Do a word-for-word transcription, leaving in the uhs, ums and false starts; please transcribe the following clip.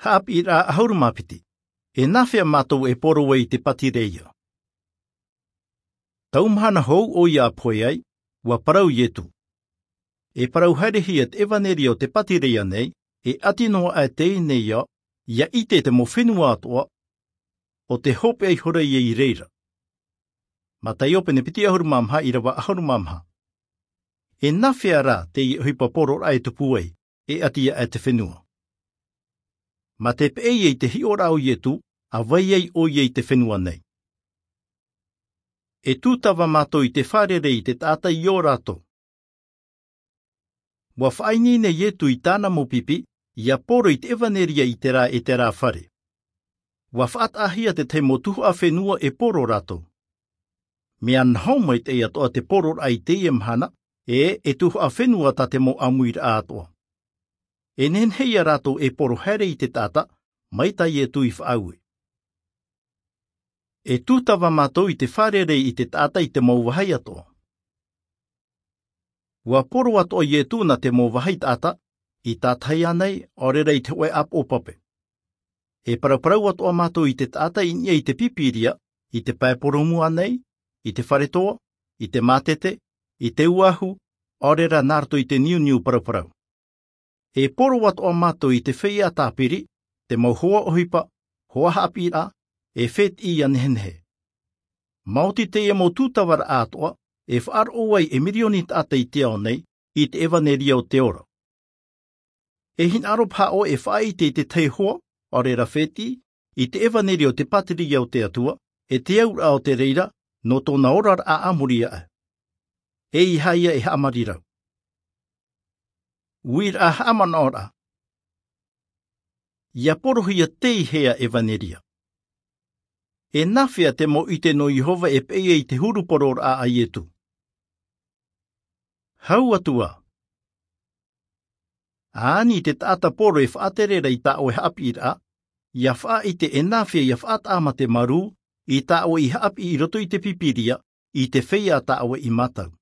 Haʻapiʻiraʻa ʻahuru mā piti. E nāfea mātou e poro ai i te pātireia? Tau mahana hou ʻoia a pohe ai, ua parau iesu. E parau haerehia te ʻevanelia o te pātireia nei, e ʻati noa aʻe teie nei ia ʻite te mau fenua atoʻa, ʻo te hopeʻa ihora ia i reira. Mataio pene piti ʻahuru mā maha ʻirava ʻahuru mā maha. E nāfea rā teie ʻohipa pororaʻa e tupu ai, e ʻati aʻe te fenua? Ma te peʻe ia i te hiʻoraʻa o iesu, a vai ai ʻoia i te fenua nei. E tūtava mātou i te fārerei i te taʻata i ō rātou. Ua faʻaineine iesu i tāna mau pipi ia poro i te ʻevanelia i terā e terā fare. Ua faʻataʻahia te tahi mau tuhaʻa fenua e poro rātou. Mea naho mai teie atoʻa te pororaʻa i teie mahana, e e tuhaʻa fenua tā te mau ʻāmuiraʻa atoʻa. E nehenehe ia rātou e poro haere i te taʻata, mai tā iesu i faʻaue. E tūtava mātou i te fārerei i te taʻata i te mau vāhi atoʻa. Ua poro atoʻa iesu nā te mau vāhi taʻata, i tātahi ānei ʻaore rā i te hoʻe ʻāpoʻo pape. E paraparau atoʻa mātou i te taʻata i niʻa i te pīpīria, i te pae porōmu ānei, i te fare toa, i te mātete, i te uahu, ʻaore rā nā roto i te niuniu paraparau. E poro atoʻa mātou i te feiā tāpiri, te mau hoa ʻohipa, hoa haʻapiʻiraʻa, e fētiʻi ia nehenehe. Maoti teie mau tūtavaraʻa atoʻa e faʻaroʻo ai e mirioni taʻata i te ao nei i te ʻevanelia o te ora. E hinaʻaro paha ʻoe e faʻaʻite i te tahi hoa, ʻaore rā fētiʻi, i te ʻevanelia o te pātireia o te Atua, e te auraʻa o te reira nō tōna oraraʻa a muri aʻe. E ʻeiaha ia e haʻamarirau. Uiraʻa haʻamanaʻoraʻa. Ia porohia teie ʻevanelia. E nāfea te mau ʻite nō Iehova e peʻe ai i te huru pororaʻa a Iesu? Hau atu ā. Ani te taʻata poro e faʻatere ra i tā ʻoe haʻapiʻiraʻa, ia faʻaʻite e nāfea ia faʻataʻa mā te marū i tā ʻoe i haʻapiʻi i roto i te Pīpīria, i te feiā tā ʻoe i mātau.